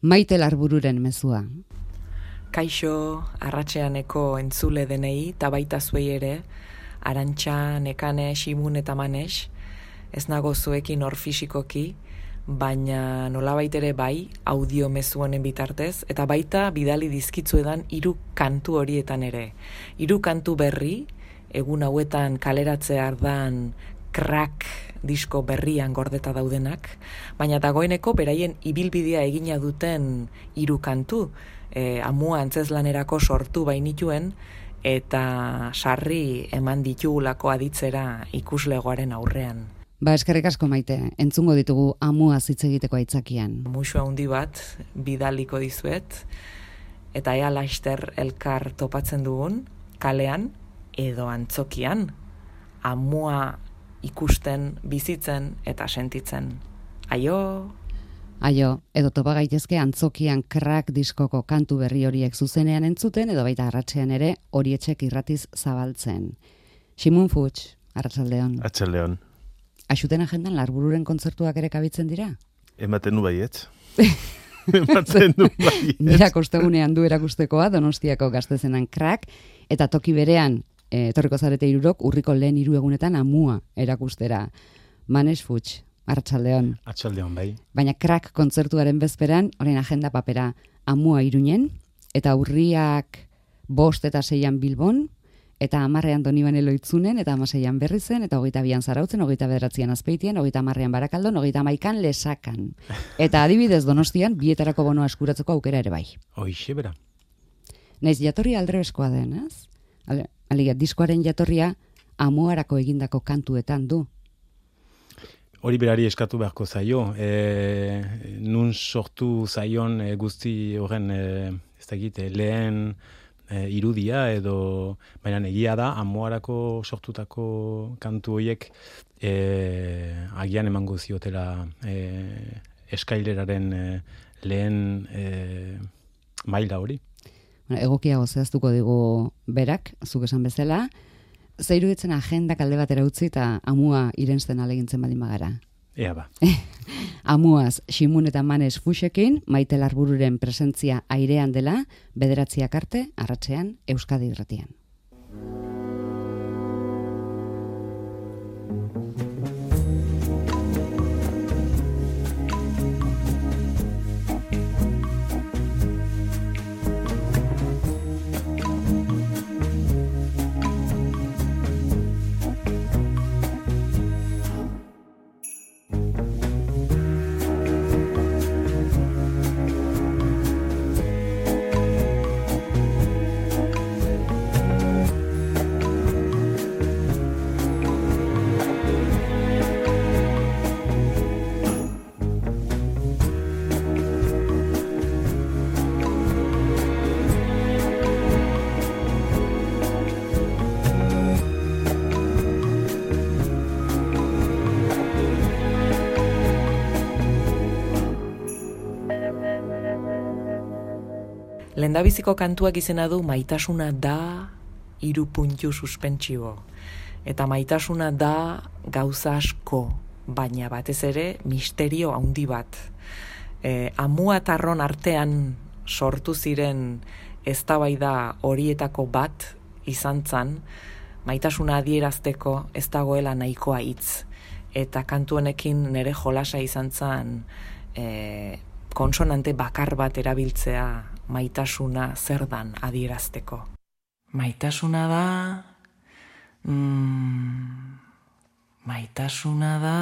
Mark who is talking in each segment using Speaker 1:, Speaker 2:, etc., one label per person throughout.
Speaker 1: Maite Larbururen mezua.
Speaker 2: Kaixo, arratseaneko entzule denei, eta baita zuei ere, Arantxa, Nekane, Ximun eta Manes, ez nago zuekin hor fisikoki, baina nolabait ere bai, audio mezu honen bitartez, eta baita bidali dizkitzuedan 3 kantu horietan ere. 3 kantu berri, egun hauetan kaleratzea ardan Crack disko berrian gordeta daudenak, baina dagoeneko beraien ibilbidea egina duten 3 kantu, amua antzeslanerako sortu bainituen, eta sarri eman ditugulako aditzera ikuslegoaren aurrean.
Speaker 1: Eskerrik asko Maite, entzungo ditugu amua hitz egiteko aitzakian.
Speaker 2: Musu handi bat bidaliko dizuet, eta ea laster elkar topatzen dugun, kalean edo antzokian, amua ikusten, bizitzen eta sentitzen. Aio!
Speaker 1: Aio, edo topa gaitezke antzokian Crack diskoko kantu berri horiek zuzenean entzuten, edo baita arratsean ere Horietxek irratiz zabaltzen. Ximun Futs, arratsaldeon.
Speaker 3: Arratsaldeon.
Speaker 1: Axuten agendan Larbururen kontzertuak ere kabitzen dira?
Speaker 3: Ematen du baietz. Ematen du baietz.
Speaker 1: Nirak ostegunean du erakustekoa Donostiako Gaztezenan Crack, eta toki berean, etorriko zarete 3 urriko lehen 3 egunetan amua erakustera. Manes Futs, arratsaldeon.
Speaker 4: Arratsaldeon, bai.
Speaker 1: Baina Crack kontzertuaren bezperan, orain agenda papera amua Iruñen, eta urriak 5 eta 6 Bilbon, eta 10 Donibane Loitzunen, eta 16 Berrizen, eta 22 Zarautzen, 29 Azpeitien, 30 Barakaldon, 31 Lesakan. Eta adibidez Donostian, bietarako bonoa eskuratzeko aukera ere bai.
Speaker 4: Hoixe bera.
Speaker 1: Naiz jatorria aldrebeskoa den, ez? Alegia, diskoaren jatorria amuarako egindako kantuetan du.
Speaker 4: Hori berari eskatu beharko zaio. Nun sortu zaion guzti horren ez dakit, lehen irudia edo, baina egia da, amuarako sortutako kantu horiek agian emango ziotela eskaileraren lehen maila hori.
Speaker 1: Egokiago zehaztuko digu berak, zuk esan bezala, ze iruditzen agendak alde batera utzi eta amua irensten alegintzen badin bagara.
Speaker 4: Ea ba.
Speaker 1: Amuaz, Ximun eta Manes Fuxekin, Maite Larbururen presentzia airean dela, 9 arte, arratsean, Euskadi Irratian.
Speaker 2: Lehendabiziko kantuak izena du Maitasuna da 3 puntu suspentsibo. Eta maitasuna da gauza asko, baina batez ere misterio handi bat. Amua eta Arron artean sortu ziren eztabaida horietako bat izan zan, maitasuna adierazteko ez dagoela nahikoa hitz. Eta kantu honekin nire jolasa izan zan konsonante bakar bat erabiltzea maitasuna zer dan adierazteko. Maitasuna da... Maitasuna da...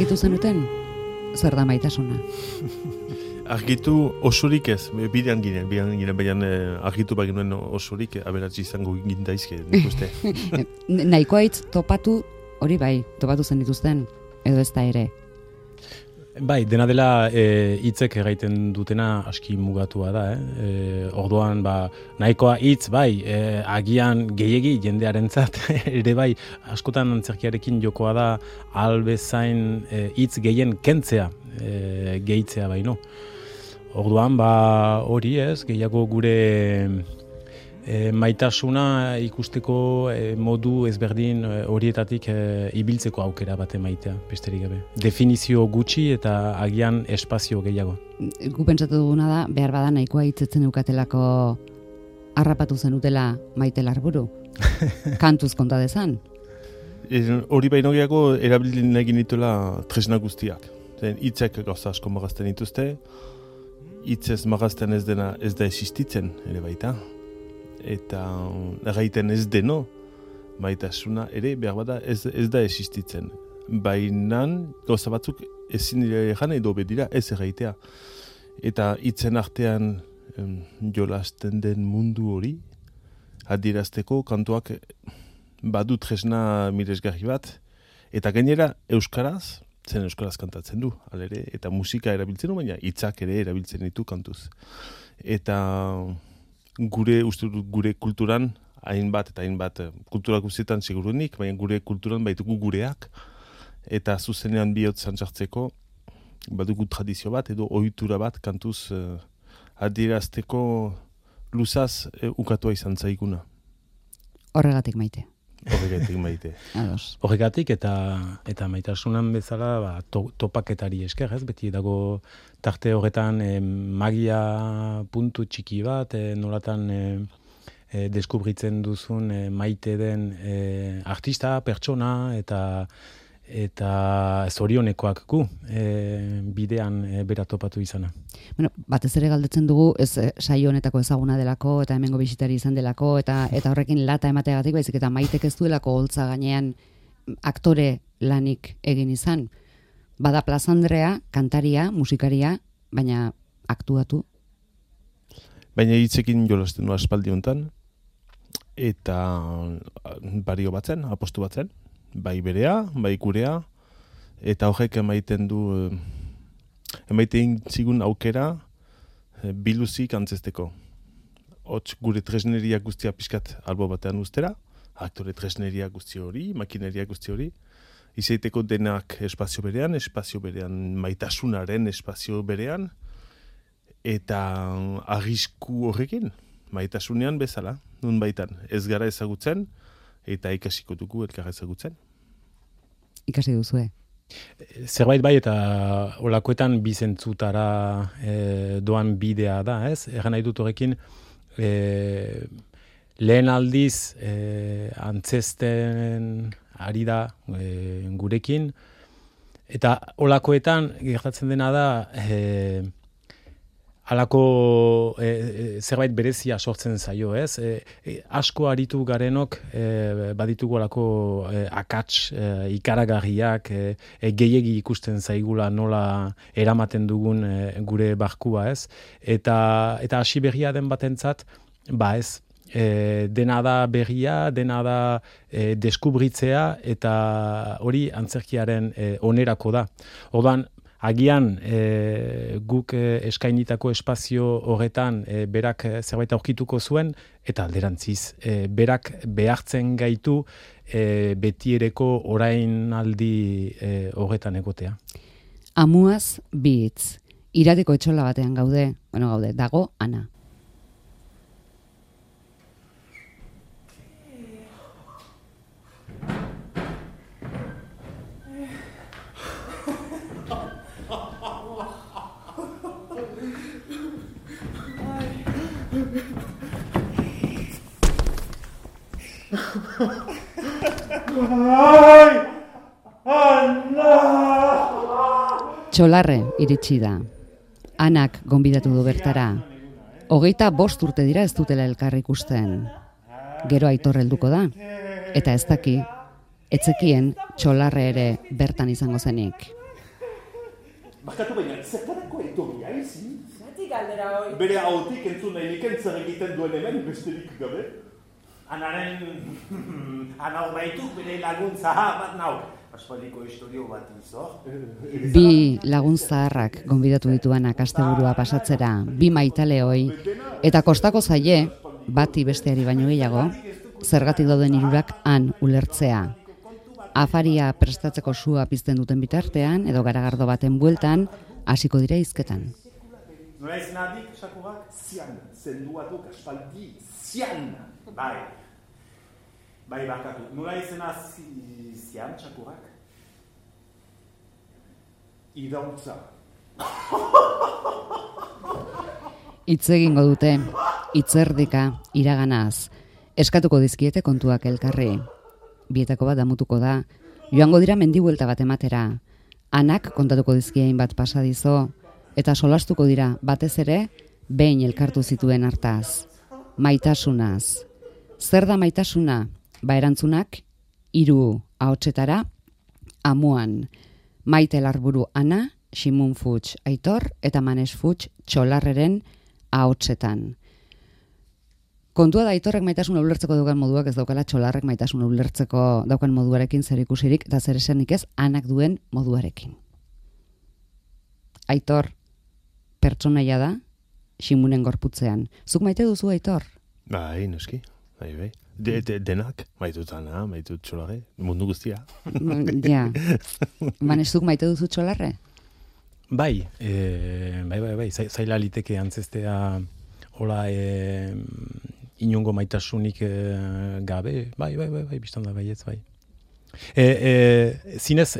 Speaker 1: argitu zenuten? Zer da maitasuna?
Speaker 3: Argitu osorik ez, bidean ginen, baina argitu baginuen osorik, aberatzi izango gindaizke, nik uste.
Speaker 1: Nahikoa hitz topatu, hori bai, topatu zen dituzten, edo ez da ere.
Speaker 4: Bai, dena dela hitzek egiten dutena aski mugatua da. Orduan, nahikoa hitz, bai, agian gehiegi jendearentzat ere bai, askotan antzerkiarekin jokoa da albezain hitz gehien kentzea, gehitzea baino. Orduan, hori ez, gehiago gure maitasuna ikusteko modu ezberdin horietatik ibiltzeko aukera bat emaitea, besterik gabe. Definizio gutxi eta agian espazio gehiago.
Speaker 1: Gu pentsatu duguna da, behar bada nahikoa hitzetzen eukatelako harrapatu zenutela Maite Larburu. Kantuz konta dezan.
Speaker 3: Hori baino gehiago erabilin egin dituela tresna guztiak. Hitzek gauza asko magazten dituzte, hitzez magazten ez dena ez da existitzen ere baita. Eta erraiten ez deno, maitasuna ere behar bada ez da existitzen. Baina gauza batzuk ezin dira jan edo bedira ez erraitea. Eta hitzen artean jolasten den mundu hori, adierazteko kantuak badu tresna miresgarri bat, eta gainera euskaraz, zen euskaraz kantatzen du, alere, eta musika erabiltzen du, baina hitzak ere erabiltzen ditu kantuz. Eta gure kulturan, hainbat kultura guztietan segurunik, baina gure kulturan baitugu gureak, eta zuzenean bihotz sartzeko badugu tradizio bat, edo ohitura bat kantuz adierazteko luzaz ukatua izan zaiguna.
Speaker 1: Horregatik Maite.
Speaker 3: Horregatik Maite.
Speaker 4: Horregatik eta maitasunan bezala topaketari esker, ez? Beti dago tarte horretan magia puntu txiki bat, nolatan deskubritzen duzun maite den artista, pertsona eta zorionekoak gu bidean bera topatu izana.
Speaker 1: Bueno, batez ere galdetzen dugu, ez saio honetako ezaguna delako, eta hemengo bisitari izan delako, eta horrekin lata emateagatik, baizik eta Maitek ez duelako holtza gainean aktore lanik egin izan. Bada plazandrea, kantaria, musikaria, baina aktuatu.
Speaker 3: Baina hitzekin jolasten du aspaldi hontan, eta bario batzen, apostu batzen. Bai berea, bai gurea, eta horrek emaiten zigun aukera biluzik antzesteko. Hots gure tresneria guztia pixkat albo batean ustera, aktore tresneria guzti hori, makineria guzti hori, izaiteko denak espazio berean, maitasunaren espazio berean, eta arrisku horrekin, maitasunean bezala, nun baitan, ez gara ezagutzen, eta ikasiko dugu elkarra ezagutzen.
Speaker 1: Ikasi duzue.
Speaker 4: Zerbait bai eta olakoetan bizentzutara doan bidea da, ez? Egan nahi dut horrekin, lehen aldiz antzesten ari da gurekin, eta olakoetan gertatzen dena da halako zerbait berezia sortzen zaio, ez? Asko aritu garenok baditugu halako akats ikaragarriak, gehiegi ikusten zaigula nola eramaten dugun gure barkua, ez? Eta hasi berria den batentzat, ez, dena da berria, dena da deskubritzea, eta hori antzerkiaren onerako da. Orduan, agian guk eskainitako espazio horretan berak zerbait aurkituko zuen, eta alderantziz, berak behartzen gaitu betiereko orainaldi horretan egotea.
Speaker 1: Amuaz bi hitz. Irateko etxola batean gaude, dago Ana. Txolarre iritsi da. Anak gonbidatu du bertara. 25 urte dira ez dutela elkar ikusten. Gero Aitor helduko da. Eta ez daki, etzekien Txolarre ere bertan izango zenik.
Speaker 3: Bakatu baina, zertarako etorri haizin?
Speaker 2: Zatik galdera hoi.
Speaker 3: Bere hautik entzun nahi niken zer egiten duen hemen besterik gabe?
Speaker 5: Ana baituk bere laguntza bat nau. Aspaldiko historio bat izor.
Speaker 1: Bi lagun zaharrak gonbidatu dituanak asteburua pasatzera, bi maitaleoi, eta kostako zaie, bati besteari baino gehiago, zergatik dauden hirurak han ulertzea. Afaria prestatzeko sua pizten duten bitartean, edo garagardo baten bueltan, hasiko dira hizketan.
Speaker 5: Nola izan adik, sakurak?
Speaker 3: Zian, zenduatuk aspaldi, zian!
Speaker 5: Bai, bakatu. Nola izan zian, sakurak?
Speaker 3: Idauntza.
Speaker 1: Hitz egingo dute, hitzerdika, iraganaz, eskatuko dizkiete kontuak elkarri. Bietako bat damutuko da, joango dira mendibuelta bat ematera, anak kontatuko dizkiein bat pasadizo, eta solastuko dira batez ere, behin elkartu zituen hartaz. Maitasunaz. Zer da maitasuna? Ba erantzunak, 3 ahotsetara, amuan. Maite Larburu Ana, Ximun Futs Aitor, eta Manes Futs Txolarreren ahotsetan. Kontua da Aitorrek maitasuna ulertzeko daukan moduak ez daukala Txolarrek maitasuna ulertzeko daukan moduarekin zer ikusirik, eta zer esanik ez anak duen moduarekin. Aitor, pertsonaia da, Ximunen gorputzean. Zuk maite duzu Aitor?
Speaker 3: Bai, noski, bai. Denak, maitut Ana, maitut Txolarre, mundu guztia.
Speaker 1: Ja. Manes, zuk maite duzu Txolarre?
Speaker 4: Bai, zaila liteke antzestea hola inongo maitasunik gabe, bai, biztan da baietz, bai. Zinez,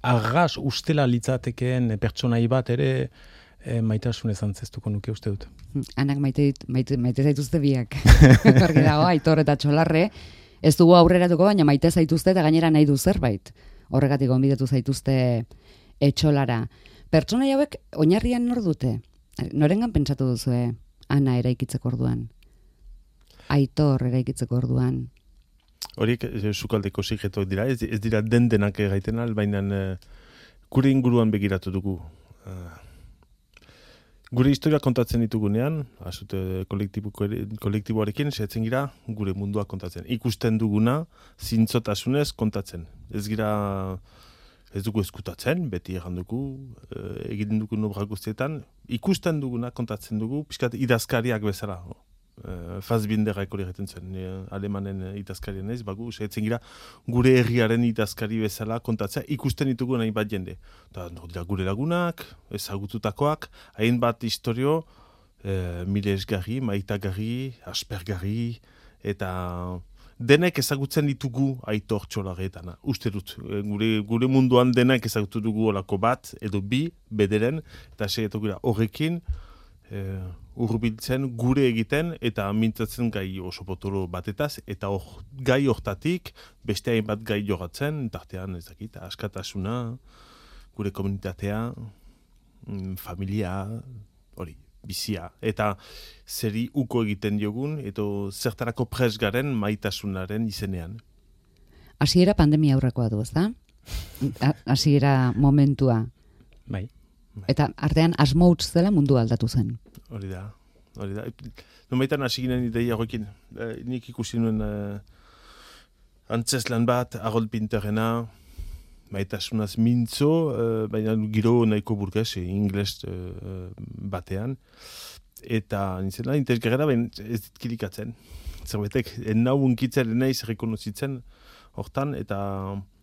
Speaker 4: arras ustela litzatekeen pertsonai bat ere maitasunez antzeztuko nuke uste dut.
Speaker 1: Anak maite zaituzte biak. Argi dago, Aitor eta Txolarre, ez dugu aurreratuko, baina maite zaituzte eta gainera nahi du zerbait. Horregatik gonbidatu zaituzte Txolara. Pertsonai hauek oinarrian nor dute? Norengan pentsatu duzue Ana eraikitzeko orduan? Aitor eraikitzeko orduan?
Speaker 3: Horiek sukaldeko sikretuak dira, ez dira denak gaiten al, baina gure inguruan begiratu dugu. Gure historia kontatzen ditugunean, azute kolektiboarekin, sehatzen gira gure mundua kontatzen. Ikusten duguna, zintzotasunez kontatzen. Ez dugu eskutatzen, beti errandugu, egiten dugu nobra guztietan, ikusten duguna kontatzen dugu, pixkat idazkariak bezala. Fassbinder egiten zen, alemanen idazkarien ez, bagu, sehatzen gira gure herriaren idazkari bezala kontatzea, ikusten ditugu nahi bat jende. Eta dira gure lagunak, ezagututakoak, hainbat historio, milesgarri, maitagarri, aspergarri, eta denek ezagutzen ditugu Aitor Txolarretana. Uste dut, gure munduan denek ezagutu dugu olako bat, edo bi, bederen, eta segetu gira horrekin, urbiltzen gure egiten eta mintzatzen gai oso potolo batetaz, eta gai hortatik beste hainbat gai jogatzen, tartean ez dakit, askatasuna, gure komunitatea, familia, hori, bizia. Eta zeri uko egiten diogun, eta zertarako pres garen maitasunaren izenean.
Speaker 1: Hasiera pandemia aurrekoa du, ezta? Hasiera momentua.
Speaker 4: Bai.
Speaker 1: Eta artean asmo utz dela mundu aldatu zen.
Speaker 3: Hori da. Nomaitan hasi ginen ideia horrekin. Nik ikusi nuen antzeslan bat, Harold Pinterrena, maitasunaz mintzo, baina giro nahiko burges, ingles batean. Eta nintzela, interesgarra, baina ez ditkilikatzen. Zerbetek, nau unkitzen naiz rekonozitzen hortan, eta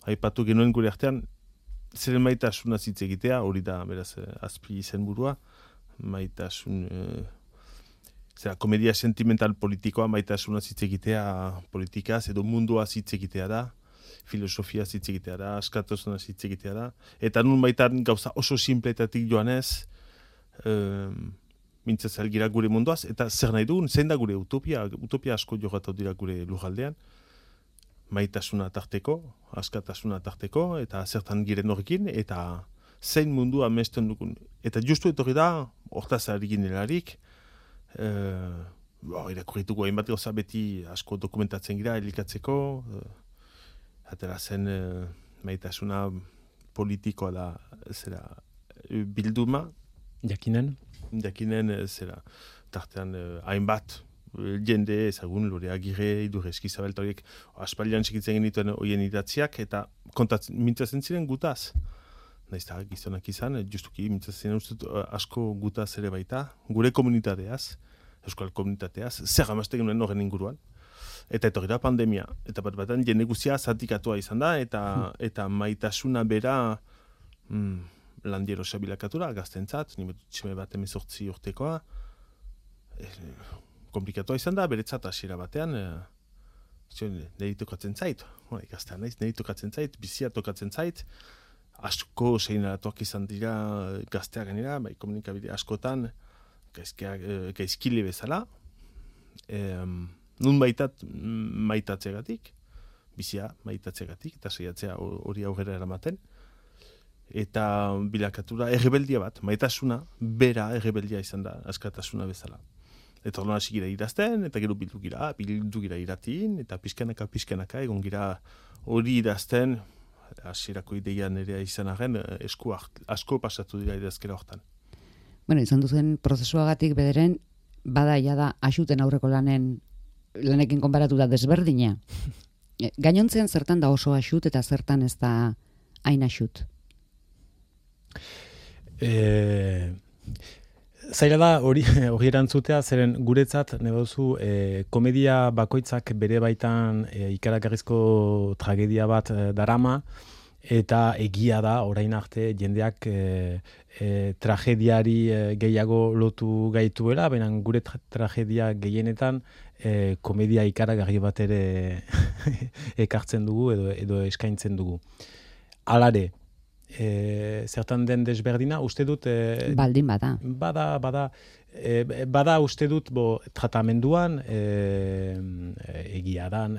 Speaker 3: aipatu genuen gure artean, zeren maitasuna hitz egitea, hori da, beraz, azpi izenburua, maitasun, komedia sentimental politikoa, maitasuna hitz egitea politikaz, edo mundua hitz egitea da, filosofia hitz egitea da, askatasuna hitz egitea da, eta nun baitan gauza oso simpletatik joanez, mintzatzen gira gure munduaz, eta zer nahi dugun, zein da gure utopia asko jogatu dira gure lujaldean, maitasuna tarteko, askatasuna tarteko, eta zertan giren horrekin, eta zein mundua amesten dugun. Eta justu etorri da, hortaz ari ginelarik, irakurrituko hainbat gauza beti asko dokumentatzen gira, elikatzeko, atera zen maitasuna politikoa da, bilduma,
Speaker 4: Jakinen?
Speaker 3: zera, tartean hainbat, jende ezagun, Lore Agirre, Idurre Eskizabel, eta horiek aspaldian segitzen genituen horien idatziak, eta mintzatzen ziren gutaz. Naiz eta gizonak izan, justuki mintzatzen ustut asko gutaz ere baita, gure komunitateaz, euskal komunitateaz, zer amazte genuen horren inguruan. Eta etorri da pandemia, eta bat-batan jende guztia zatikatua izan da, eta maitasuna bera landiero sabilakatura, gaztentzat, nimetutxeme bat 18 urtekoa, komplikatua izan da, beretzat hasiera batean, niri tokatzen zait, gaztea naiz, niri tokatzen zait, bizia tokatzen zait, asko seinalatuak izan dira gazteak genera, bai komunikabide askotan, gaizkile bezala, nun maitatzegatik, bizia maitatzegatik, eta saiatzea hori aurrera eramaten, eta bilakatura errebeldia bat, maitasuna, bera errebeldia izan da, askatasuna bezala. Eta horren hasi gira idazten, eta gero bildu gira iratin, eta pizkanaka, egon gira hori idazten, hasierako ideia nerea izan arren, asko pasatu dira idazkera hortan.
Speaker 1: Bueno, izan duzen prozesuagatik bederen, bada da axuten aurreko lanekin konparatuta desberdina. Gainontzean zertan da oso axut eta zertan ez da hain axut?
Speaker 4: Zaila da hori erantzutea, zeren guretzat negozu komedia bakoitzak bere baitan ikaragarrizko tragedia bat darama, eta egia da orain arte jendeak tragediari gehiago lotu gaituela, baina gure tragedia gehienetan komedia ikaragarri bat ere ekartzen dugu edo eskaintzen dugu. Halare, zertan den desberdina, uste dut...
Speaker 1: Baldin bada.
Speaker 4: Bada uste dut tratamenduan egia dan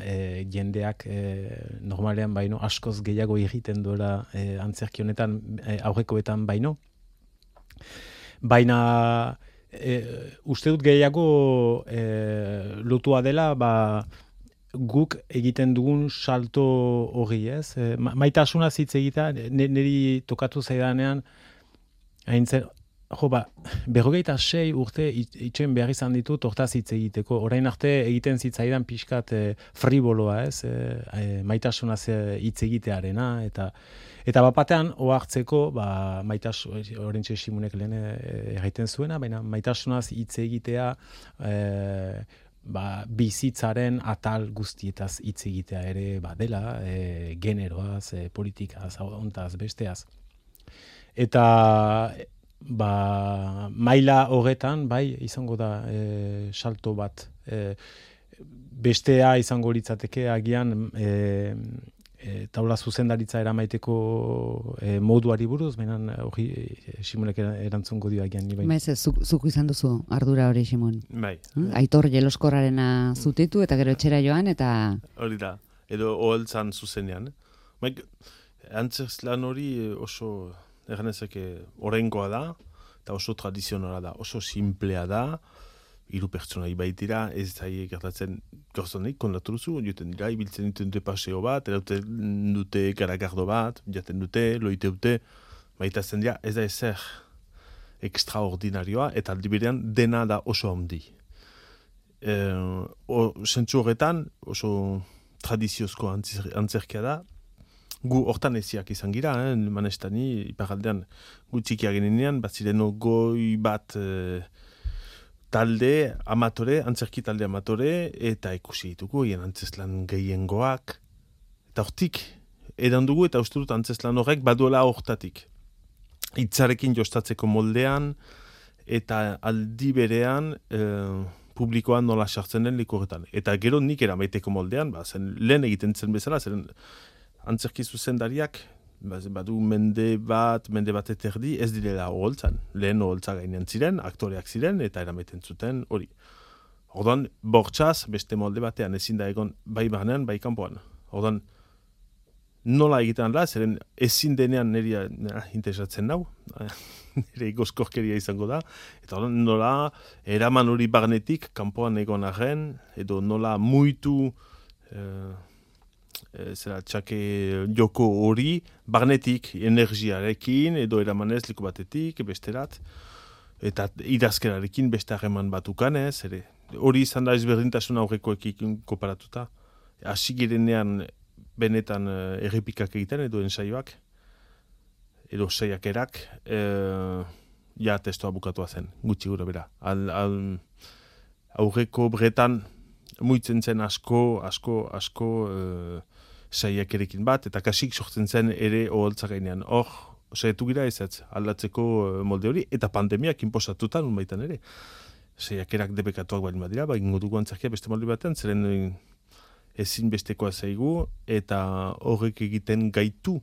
Speaker 4: jendeak normalean baino askoz gehiago egiten duela antzerki honetan aurrekoetan baino. Baina uste dut gehiago lotua dela guk egiten dugun salto hori, ez? Maitasuna hitz egitea, niri tokatu zaidanean, haintzen, 56 urte itxen behar izan ditut hortaz hitz egiteko. Orain arte egiten zitzaidan pixkat friboloa, ez? Maitasunaz hitz egitearena, eta bapatean ohartzeko, orentxe Simunek lehen egiten zuena, baina maitasunaz hitz egitea bizitzaren atal guztietaz hitz egitea ere dela, generoaz, politikaz, ontaz, besteaz. Eta maila horretan, izango da salto bat. Bestea izango litzateke agian taula zuzendaritza eramaiteko moduari buruz, baina hori Simonek erantzungo dio agian ni baina.
Speaker 1: Zuk izan duzu ardura hori, Simon.
Speaker 3: Bai.
Speaker 1: Aitor jeloskorrarena zutitu eta gero etxera joan eta...
Speaker 3: Hori da, edo oholtzan zuzenean. Antzerklan hori oso, eganezake, oraingoa da, eta oso tradizionala da, oso simplea da, 3 pertsonai baitira, ez zaie gertatzen gauzanik, kondatu duzu, joten dira, ibiltzen dute paseo bat, erauten dute garagardo bat, jaten dute, loite dute, maitazen dira, ez da ezer extraordinarioa, eta aldiberean dena da oso handi. Sentzu horretan, oso tradiziozko antzerkia da, gu hortan eziak izan gira, manestani, iparaldean gu txikia genenean, bat ziren goi bat talde amatore, antzerki talde amatore, eta ikusi ditugu, hien antzeslan gehiengoak, eta hortik, edan dugu, eta uste dut antzeslan horrek baduela hortatik. Hitzarekin jostatzeko moldean, eta aldi berean publikoan nola sartzen den likurretan. Eta gero nik eramaiteko moldean, zen lehen egiten zen bezala, zen antzerki zuzendariak, badu mende bat eterdi, ez direla oholtzan. Lehen oholtza gainean ziren, aktoreak ziren, eta eramaiten zuten hori. Orduan, bortxaz, beste molde batean ezin da egon bai barnean, bai kanpoan. Orduan, nola egiten da, zeren ezin denean niri interesatzen nau, nire gozkorkeria izango da, eta orduan nola eraman hori barnetik kanpoan egon arren, edo nola muitu txake joko hori, barnetik energiarekin, edo eramanez liku batetik, besterat, eta idazkerarekin beste harreman bat ukanez, ere. Hori izan da ezberdintasun aurrekoekin koparatuta. Hasi girenean benetan errepikak egiten, edo ensaioak, edo saiakerak, ja testoa bukatua zen, gutxi gura bera. Aurreko bretan, muitzen zen asko saiakerekin bat, eta kasik sortzen zen ere oholtza gainean. Hor, saiatu gira ez aldatzeko molde hori, eta pandemiak inposatutan unbaitan ere. Saiakerak debekatuak baldin badira, ingo dugu antzerkia beste molde baten, zeren ezin bestekoa zaigu, eta horrek egiten gaitu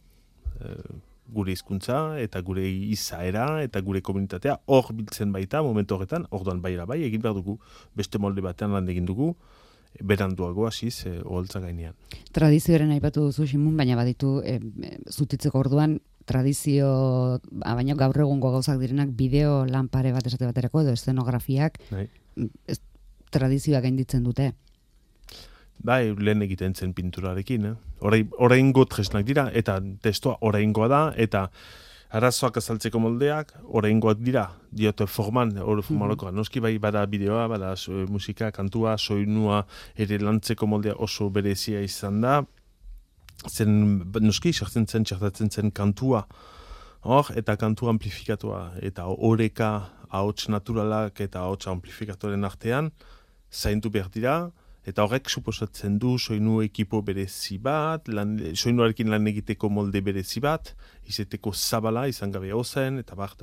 Speaker 3: gure hizkuntza eta gure izaera eta gure komunitatea hor biltzen baita momentu horretan, orduan bai egin behar dugu, beste molde batean lan egin dugu, beranduago hasiz oholtza gainean.
Speaker 1: Tradizioaren aipatu duzu Simun, baina baditu zutitzeko orduan tradizio, baina gaur egungo gauzak direnak bideo lanpare bat esate baterako edo eszenografiak tradizioak gainditzen dute.
Speaker 3: Bai, lehen egiten zen pinturarekin. Oraingo tresnak dira, eta testoa oraingoa da, eta arazoak azaltzeko moldeak, oraingoak dira, diote forman, formaloko. Noski bai, bada bideoa, bada musika, kantua, soinua, ere lantzeko moldea oso berezia izan da. Zen, noski, txartatzen zen kantua, eta kantua amplifikatua, eta oreka, ahots naturalak eta ahots amplifikatoren artean, zaintu behar dira, eta horrek suposatzen du soinu ekipo berezi bat, soinuarekin lan egiteko molde berezi bat, izeteko zabala, izan gabe ozen, eta bar.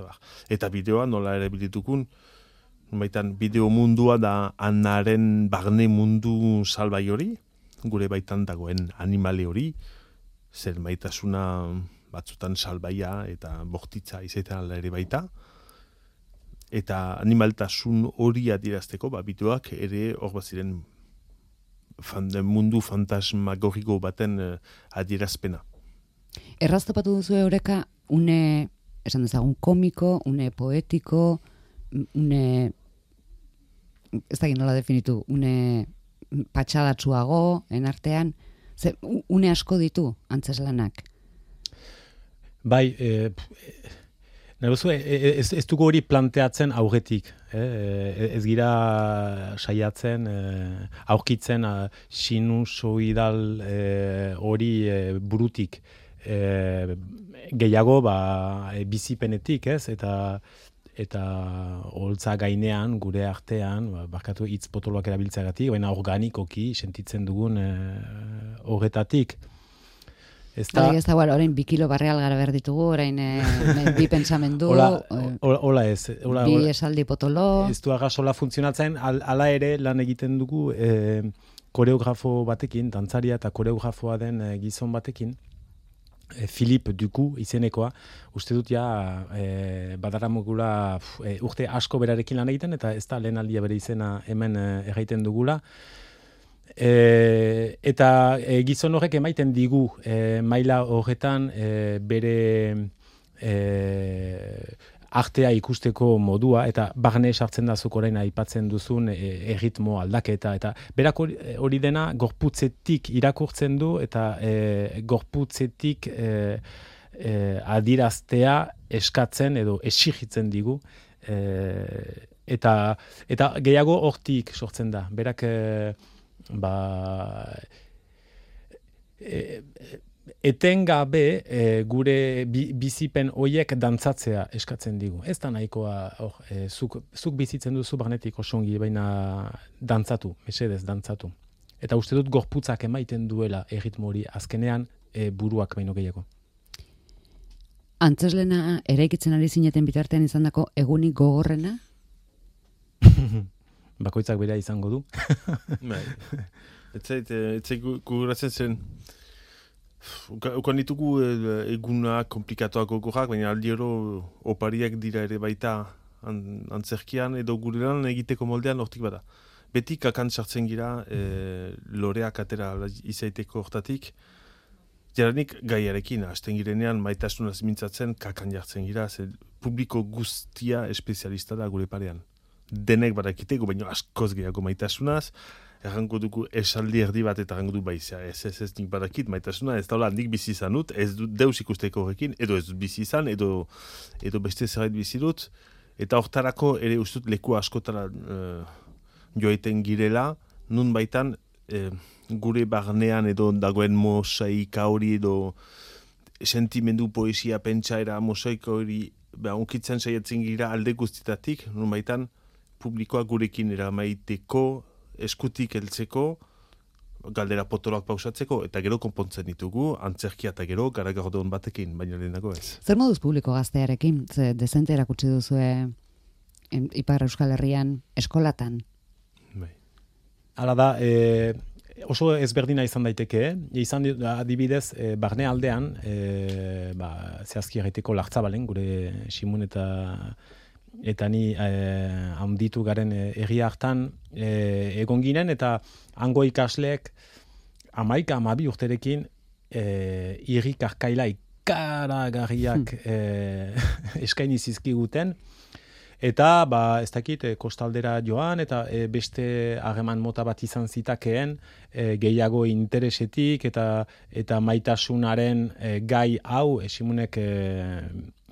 Speaker 3: Eta bideoa nola erabilitukun, baitan bideo mundua da anaren barne mundu salbai hori, gure baitan dagoen animale hori, zer maitasuna batzutan salbaia eta bortitza izaten ala ere baita, eta animaltasun hori adierazteko, bideoak ere hor baziren mundu fantasmagoriko baten adierazpena.
Speaker 1: Erraztopatu duzu eureka une, esan dezagun, komiko, une poetiko, une, ez da nola definitu, une patxadatsuago, enartean, une asko ditu antzeslanak?
Speaker 4: Bai, ez dugu hori planteatzen aurretik. Ez gira saiatzen, aurkitzen sinusoidal hori burutik. Gehiago bizipenetik, ez? Eta holtza gainean, gure artean, barkatu hitz potoloak erabiltzeagatik, baina organikoki sentitzen dugun horretatik.
Speaker 1: Ez da, orain 2 kilo barreal gara behar ditugu, orain bi pentsamendu,
Speaker 4: hola ez.
Speaker 1: Bi esaldi potolo.
Speaker 4: Ez du agasola funtzionatzen, ala ere lan egiten dugu koreografo batekin, dantzaria eta koreografoa den gizon batekin, Philippe Duku izenekoa, uste dut badaramugula urte asko berarekin lan egiten, eta ez da lehen aldia bere izena hemen erraiten dugula. Eta gizon horrek emaiten digu maila horretan bere artea ikusteko modua, eta barne sartzen da zuk orain aipatzen duzun erritmo aldaketa, eta berak hori dena gorputzetik irakurtzen du, eta gorputzetik adiraztea eskatzen edo exigitzen digu, eta gehiago hortik sortzen da. Berak etengabe gure bizipen hoiek dantzatzea eskatzen digu. Ez da nahikoa zuk bizitzen duzu barnetik osongi, baina dantzatu, mesedez dantzatu. Eta uste dut gorputzak emaiten duela erritmo hori azkenean buruak baino gehiago.
Speaker 1: Antzeslena eraikitzen ari zineten bitartean izandako egunik gogorrena?
Speaker 4: Bakoitzak bera izango du.
Speaker 3: Etzai guguratzen zen, ukan ditugu egunak komplikatuak gogorrak, baina aldiero opariak dira ere baita antzerkian, edo gure lan egiteko moldean hortik bada. Beti kakan sartzen gira, loreak atera izaiteko hortatik, jaranik gaiarekin, hasten girenean maitasunaz mintzatzen, kakan jartzen gira, publiko guztia espezialista da gure parean. Denek badakiteko, baina askoz gehiago maitasunaz, errango dugu esaldi erdi bat eta errango du baizia, ez nik badakit, maitasuna ez daula nik bizi izan dut, ez dut deus ikusteko horrekin, edo ez dut bizi izan, edo beste zerbait bizi dut, eta hortarako ere ustut leku askotara joaiten girela, nun baitan gure barnean edo dagoen mosaika hori edo sentimendu, poesia, pentsaera, mosaika hori unkitzen saiatzen gira alde guztitatik, nun baitan publikoa gurekin eramaiteko, eskutik heltzeko, galdera potoloak pausatzeko, eta gero konpontzen ditugu, antzerkia eta gero garagardon batekin, baina lehenago ez.
Speaker 1: Zer moduz publiko gaztearekin? Ze dezente erakutsi duzue Ipar Euskal Herrian eskolatan?
Speaker 3: Bai.
Speaker 4: Hala da, oso ezberdina izan daiteke, izan adibidez, barne aldean, zehazki erraiteko Lartzabalen, gure Simun eta ni handitu garen herri hartan egon ginen, eta hango ikasleek 11-12 urterekin irrik arkaila ikaragarriak eskaini zizkiguten, eta ez dakit kostaldera joan, eta beste harreman mota bat izan zitakeen gehiago interesetik eta maitasunaren gai hau, Simunek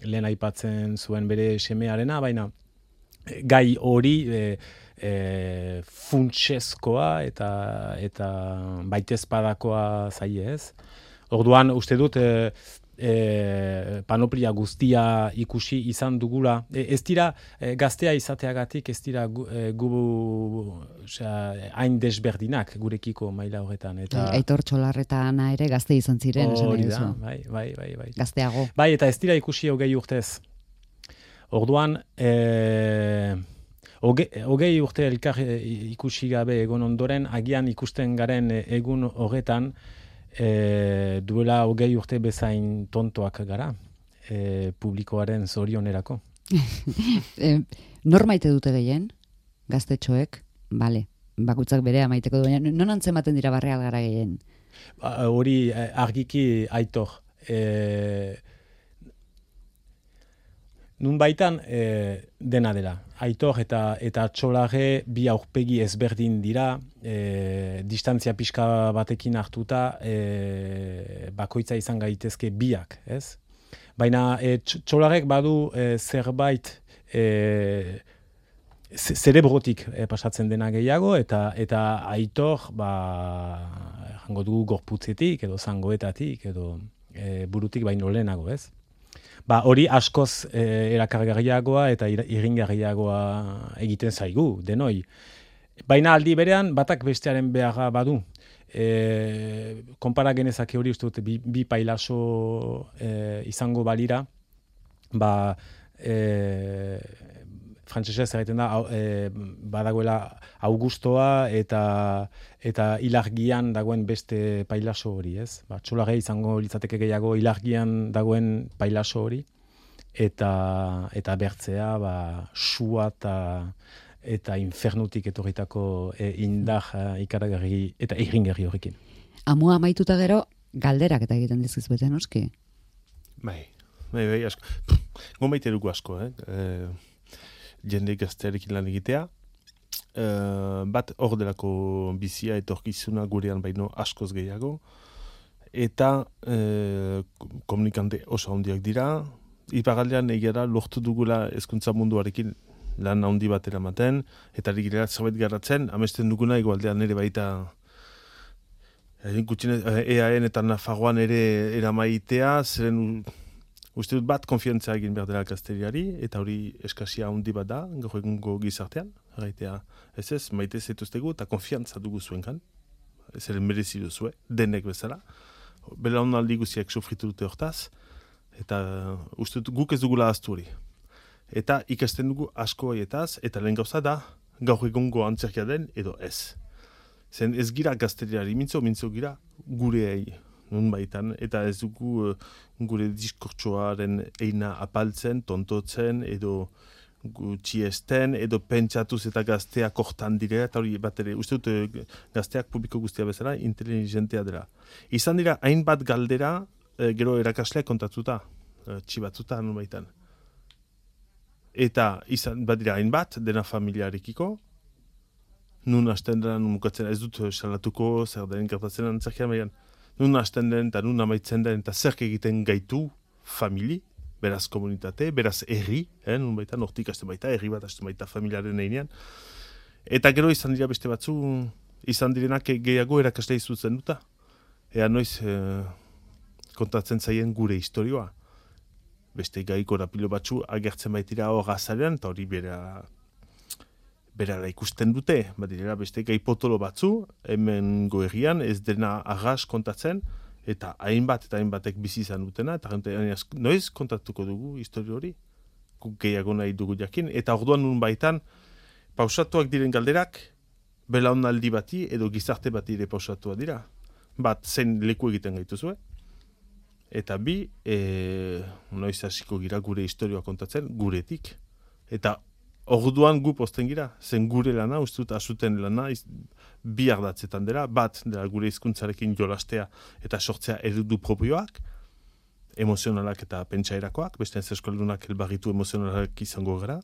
Speaker 4: lehen aipatzen zuen bere semearena, baina gai hori funtsezkoa eta baitezpadakoa zaie ez. Orduan, uste dut, panoplia guztia ikusi izan dugula. Ez dira gaztea izateagatik, ez dira hain desberdinak gurekiko maila horretan.
Speaker 1: Aitor Txolarreta Ana ere gazte izan ziren, esan nahi duzu.
Speaker 4: Bai.
Speaker 1: Gazteago.
Speaker 4: Bai, eta ez dira ikusi 20 urtez. Orduan, 20 urte elkar ikusi gabe egon ondoren, agian ikusten garen egun horretan, duela 20 urte bezain tontoak gara, publikoaren zorionerako.
Speaker 1: Nor maite dute gehien, gaztetxoek? Bale, bakutzak berea maiteko du, baina non antzematen dira Barreal gara gehien?
Speaker 4: Hori argiki Aitor. Nun baitan dena dela. Aitor eta Txolare bi aurpegi ezberdin dira, distantzia pixka batekin hartuta bakoitza izan gaitezke biak, ez? Baina Txolarek badu zerbait zerebrotik pasatzen dena gehiago, eta Aitor, jango dugu gorputzetik, edo zangoetatik, edo burutik baino lehenago, ez? Hori askoz erakargarriagoa eta irringarriagoa egiten zaigu, denoi. Baina aldi berean, batak bestearen beharra badu. Konpara genezake hori uste dute bi pailaso izango balira, frantsesez egiten da, badagoela Augustoa eta ilargian dagoen beste pailaso hori, ez? Txolare izango litzateke gehiago ilargian dagoen pailaso hori, eta bertzea, sua eta infernutik etorritako indar ikaragarri eta irringarri horrekin.
Speaker 1: Amua amaituta gero, galderak eta egiten dizkizuete, noski?
Speaker 3: Bai, asko. Gomaite dugu asko, jende gaztearekin lan egitea. Bat hor delako bizia etorkizuna gurean baino askoz gehiago. Eta komunikante oso handiak dira. Iparaldean egera lortu dugula hezkuntza munduarekin lan handi bat eramaten, eta rigera zerbait garratzen, amesten duguna egoaldean ere baita EAN eta Nafarroan ere eramaitea, zeren uste dut bat konfiantza egin behar dela gazteriari, eta hori eskasia handi bat da, gaur egungo gizartean, erraitea ez, maite zetuztegu, eta konfiantza dugu zuenkan, zeren merezi duzue, denek bezala, belaunaldi guziak sofritu dute hortaz, eta uste dut guk ez dugula ahaztu hori. Eta ikasten dugu asko haietaz, eta lehen gauza da, gaur egungo antzerkia den, edo ez. Zen ez gira gazteriari mintzo gira gureei, nun baitan, eta ez dugu gure diskurtsoaren eina apaltzen, tontotzen, edo gutxiesten, edo pentsatuz eta gazteak hortan direla, eta hori bat ere, uste dut gazteak publiko guztia bezala, inteligentea dela. Izan dira, hainbat galdera, gero erakasleak kontatuta, txibatzuta nun baitan. Eta izan badira hainbat, dena familiarekiko, nun hasten dena, nun mukatzen ez dut salatuko, zer den gertatzen antzerkian, baina nun hasten den, eta nun amaitzen den, eta zer egiten gaitu famili, beraz komunitate, beraz herri, nun baita, nortik hasten baita, herri bat hasten baita familiaren einean. Eta gero izan dira beste batzu, izan direnak gehiago erakasle izutzen duta. Ea noiz kontatzen zaien gure historioa. Beste gai korapilo batzu agertzen baitira hor azarean, eta hori berara ikusten dute. Badirera beste gai potolo batzu, hemen goerrian ez dena arras kontatzen, eta hainbat eta hainbatek bizi izan dutena, eta noiz kontatuko dugu historio hori. Guk gehiago nahi dugu jakin, eta orduan nun baitan, pausatuak diren galderak, belaunaldi bati edo gizarte bati ere pausatua dira. Bat, zein leku egiten gaituzue, eta bi, noiz hasiko gira gure historioa kontatzen, guretik. Eta orduan gu posten gira, zen gure lana, ustut asuten lana, bi ardatzetan dira, bat dela gure hizkuntzarekin jolastea eta sortzea eredu propioak, emozionalak eta pentsaerakoak, beste ez eskoldunak elbarritu emozionalak izango gara,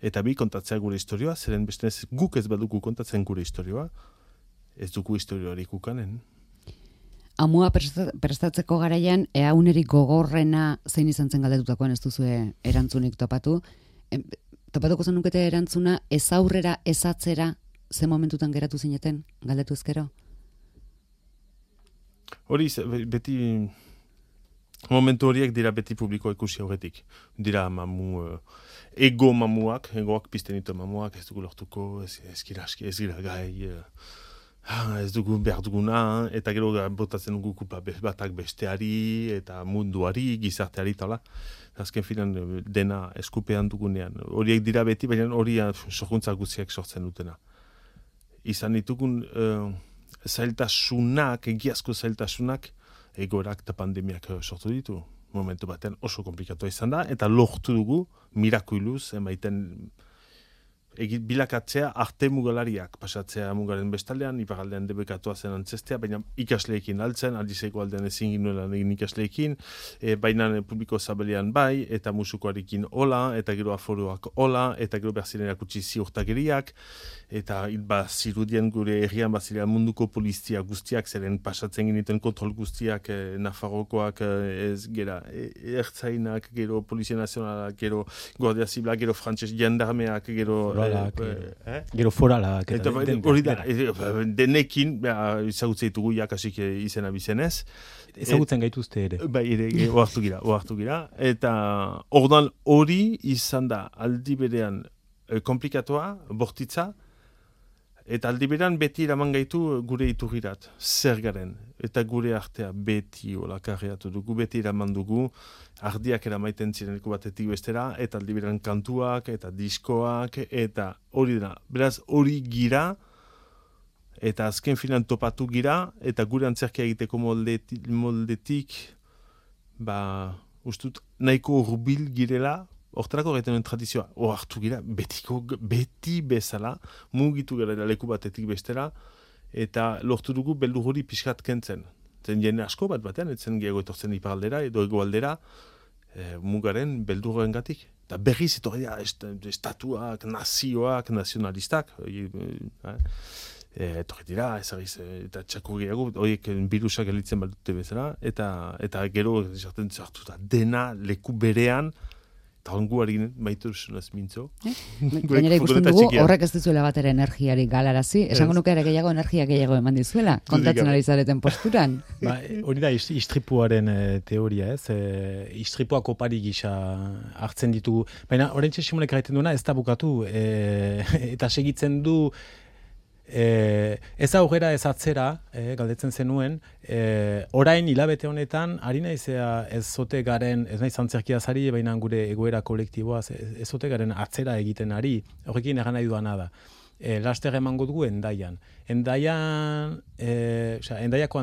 Speaker 3: eta bi kontatzea gure historioa, zeren beste ez guk ez badugu kontatzen gure historioa, ez dugu historioarik ukanen.
Speaker 1: Amua prestatzeko garaian, ea unerik gogorrena zein izan zen galdetutakoan ez duzue erantzunik topatu. Topatuko zenukete erantzuna, ez aurrera, ez atzera, ze momentutan geratu zineten, galdetu ezkero?
Speaker 3: Hori, beti, momentu horiek dira beti publiko ikusi aurretik. Dira mamuak, egoak pizten ditu mamuak, ez dugu lortuko, ez gira gai, ez dugu behar duguna, eta gero botatzen dugu kulpa batak besteari, eta munduari, gizarteari, tala. Azken finan dena eskupean dugunean. Horiek dira beti, baina hori sorkuntza guztiak sortzen dutena. Izan ditugun zailtasunak, egiazko zailtasunak, egoerak eta pandemiak sortu ditu. Momentu batean oso komplikatua izan da, eta lortu dugu, mirakuiluz, emaiten bilakatzea arte mugalariak, pasatzea mugaren bestaldean, iparaldean debekatua zen antzestea, baina ikasleekin altzen, aldizeko aldean ezin ginuelan egin ikasleekin, baina publiko zabelean bai, eta musukoarekin hola, eta gero aforoak hola, eta gero berziren erakutsi ziurtageriak, eta zirudien gure herrian bazilean munduko polizia guztiak, zeren pasatzen giniten kontrol guztiak, Nafarrokoak, ez gera, ertzainak, gero Polizia Nazionalak, gero Guardia Zibilak, gero frantses jendarmeak, gero
Speaker 4: gero foralak.
Speaker 3: Hori da, denekin, ezagutzen ditugu jakasik izena bizenez.
Speaker 4: Ezagutzen gaituzte ere.
Speaker 3: Bai, ere, ohartu gira. Eta orduan hori izan da aldi berean komplikatua, bortitza, eta aldi berean beti eraman gaitu gure iturrirat, zer garen. Eta gure artea beti olakarriatu dugu, beti eraman dugu, ardiak eramaiten zireneko batetik bestera, eta aldi berean kantuak, eta diskoak, eta hori dena. Beraz, hori gira, eta azken finan topatu gira, eta gure antzerkia egiteko moldetik, ustut, nahiko hurbil girela, hortarako gaiten tradizioa, hartu gira, beti bezala, mugitu gara leku batetik bestera, eta lortu dugu beldur hori pixkat kentzen. Zen jende asko batean, etzen gehiago etortzen iparaldera, edo egoaldera, mugaren beldurren gatik. Eta berriz etorri dira, estatuak, nazioak, nazionalistak, etorri dira, ezagiz, eta txako gehiago, horiek birusak elitzen badute bezala, eta gero esaten zartu da, dena leku berean, eta honguari maitu sunaz mintzo.
Speaker 1: Gainera ikusten dugu, horrek ez dizuela bat ere energiari galarazi, esango nuke ere gehiago energia gehiago eman dizuela, kontatzen ari zareten posturan.
Speaker 4: Hori da, istripuaren teoria, ez? Istripuak opari gisa hartzen ditugu. Baina, oraintxe Simonek gaiten duena, ez da bukatu, eta segitzen du, ez aurrera ez atzera, galdetzen zenuen, orain hilabete honetan, ari naizea ez zote garen, ez naiz antzerkia zari, baina gure egoera kolektiboa, ez zote garen atzera egiten ari, horrekin egan nahi duana da. Laster emango dugu Endaian. Endaiako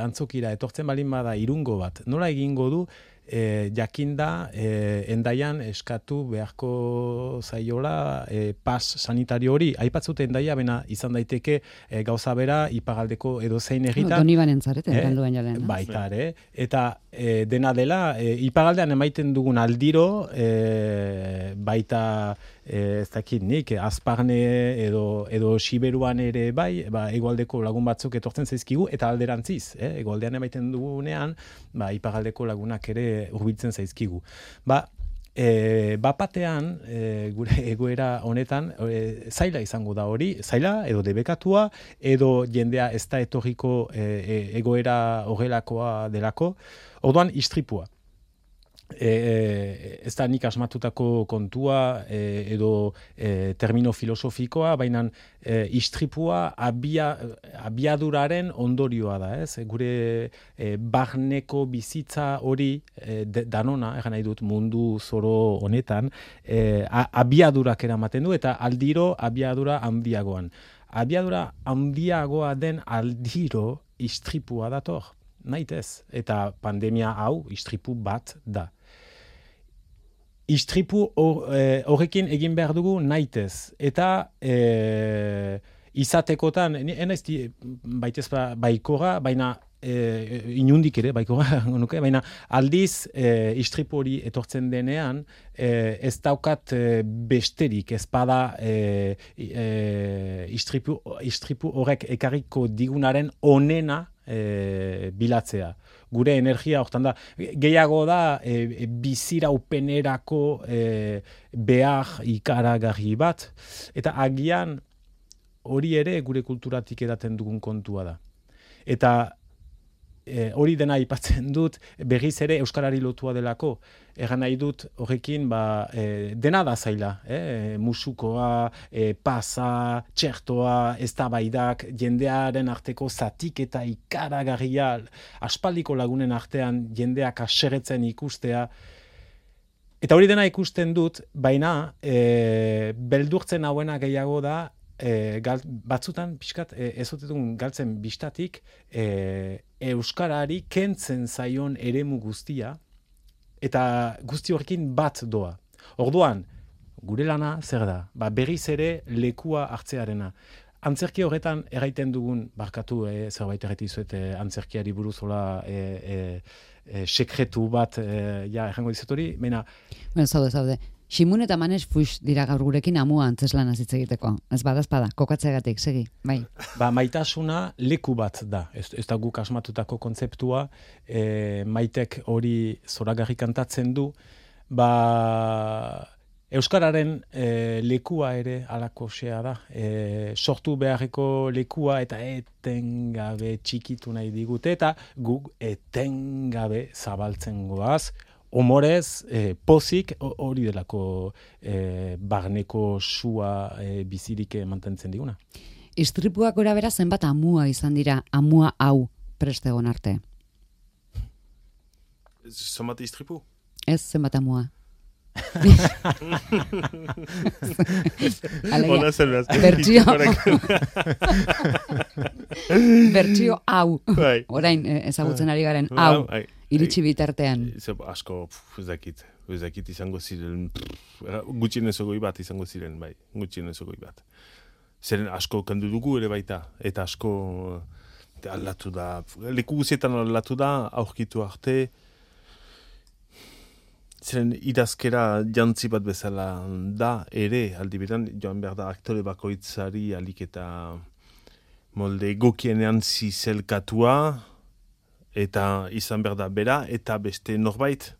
Speaker 4: antzokira etortzen balin bada irungo bat, nola egingo du, jakinda Endaian eskatu beharko zaiola pas sanitario hori. Aipatzute Endaia, bena izan daiteke gauza bera ipagaldeko edo zein herritan.
Speaker 1: Donibanen zarete, galduan jalen.
Speaker 4: Baita ere. Eta dena dela, ipagaldean emaiten dugun aldiro, baita ez dakit nik, Azparne edo Siberuan ere bai, hegoaldeko lagun batzuk etortzen zaizkigu, eta alderantziz, hegoaldean emaiten dugunean, iparraldeko lagunak ere hurbiltzen zaizkigu. Bapatean, gure egoera honetan, zaila izango da hori, zaila edo debekatua, edo jendea ez da etorriko egoera horrelakoa delako, orduan istripua. Ez da nik asmatutako kontua edo termino filosofikoa, baina istripua abiaduraren ondorioa da, ez? Gure barneko bizitza hori danona, egan nahi dut mundu zoro honetan, abiadurak eramaten du eta aldiro abiadura handiagoan. Abiadura handiagoa den aldiro istripua dator. Naitez, eta pandemia hau istripu bat da. Istripu horrekin egin behar dugu naitez, eta izatekotan, enaiz baitez baikora, baina inundik ere, baikora, baina aldiz istripu hori etortzen denean, ez daukat besterik, ez bada istripu horrek ekarriko digunaren onena bilatzea. Gure energia hortan da, gehiago da biziraupenerako behar ikaragarri bat, eta agian hori ere gure kulturatik edaten dugun kontua da. Eta hori dena aipatzen dut, berriz ere euskarari lotua delako. Egan nahi dut horrekin dena da zaila. Musukoa, pasa, txertoa, eztabaidak, jendearen arteko zatik eta ikaragarria, aspaldiko lagunen artean jendeak haserretzen ikustea. Eta hori dena ikusten dut, baina beldurtzen hauena gehiago da, batzutan pixkat ezotetun galtzen bistatik euskarari kentzen zaion eremu guztia eta guzti horrekin bat doa. Orduan, gure lana zer da? Berriz ere lekua hartzearena. Antzerki horretan erraiten dugun, barkatu zerbait erretizuet antzerkiari buruzola sekretu bat errango dizut hori, baina...
Speaker 1: Zaude. Simun eta Manes fuix dira gaur gurekin amua antzeslan hitz egiteko. Ez bada, kokatzeagatik, segi, bai.
Speaker 4: Maitasuna leku bat da. Ez da guk asmatutako kontzeptua, maitek hori zoragarri kantatzen du, euskararen lekua ere alakoxea da. Sortu beharreko lekua eta etengabe txikitu nahi digute, eta guk etengabe zabaltzen goaz, Omorez, pozik, hori delako barneko sua bizirik mantentzen diguna.
Speaker 1: Istripuak gora bera zenbat amua izan dira, amua hau prestegon arte?
Speaker 3: Zenbat istripu?
Speaker 1: Ez zenbat amua. Bertsio hau. Orain ezagutzen ari garen hau. Iritsi bitartean.
Speaker 3: Asko, ez dakit izango ziren, gutxienez ogoi bat izango ziren, bai, gutxienez ogoi bat. Zeren asko kandu dugu ere baita, eta asko aldatu da, leku guzietan aldatu da, aurkitu arte, zeren idazkera jantzi bat bezala da, ere, aldi beran, joan behar da aktore bakoitzari alik eta molde egokienean zizelkatua, eta izan behar da bera, eta beste norbait.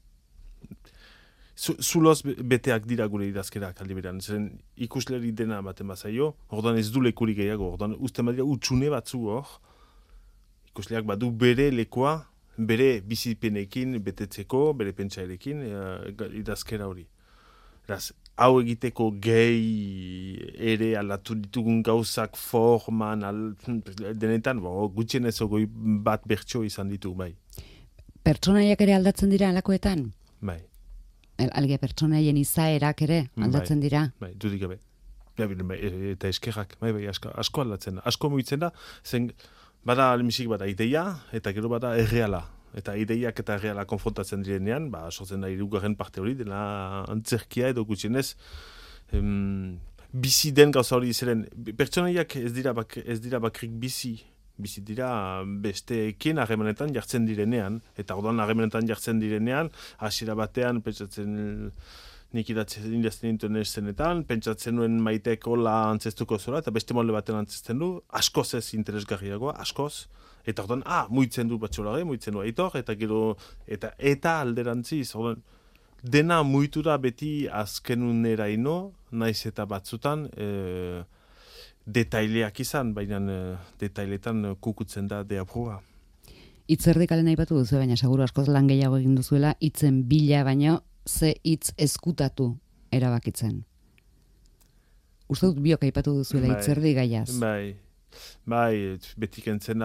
Speaker 3: Zuloz beteak dira gure idazkerak aldi beran. Zeren ikusleri dena baten bazaio, ordan ez du lekurik gehiago, ordan uste badira utxune batzu hor, ikusleak badu bere lekoa, bere bizipenekin betetzeko, bere pentsairekin, idazkera hori. Eraz, hau egiteko gehi ere aldatu ditugun gauzak forman, denetan, gutxienez ogoi bat bertso izan ditu, bai.
Speaker 1: Pertsonaiak ere aldatzen dira alakoetan?
Speaker 3: Bai.
Speaker 1: Algia pertsonaien izaerak ere aldatzen dira?
Speaker 3: Bai, dudik gabe. Eta eskerrak, bai, asko aldatzen da. Asko mugitzen da, zen bada almisik bada ideia, eta gero bada erreala. Eta ideiak eta erreala konfrontatzen direnean, sortzen da hirugarren parte hori, dela antzerkia edo gutxienez, bizi den gauza hori ziren. Pertsonaiak ez dira bakrik bizi dira besteekin harremanetan jartzen direnean, eta orduan harremanetan jartzen direnean, hasiera batean, pentsatzen nik idazten nintuen eszenetan, pentsatzen nuen Maitek hola antzestuko zuela, eta beste molde baten antzesten du, askoz ez interesgarriagoa, askoz, eta orduan, muitzen du Batxolare, muitzen du Aitor, eta gero, eta alderantziz, orduan, dena muitu da beti azkenuneraino, naiz eta batzutan, detaileak izan, baina detailetan kukutzen da deapurua.
Speaker 1: Itzerdikalen aipatu duzu, baina seguru askoz lan gehiago egin duzuela, hitzen bila baino, ze hitz ezkutatu erabakitzen. Uste dut biok aipatu duzuela hitzerdi gaiaz.
Speaker 3: Bai, beti kentzen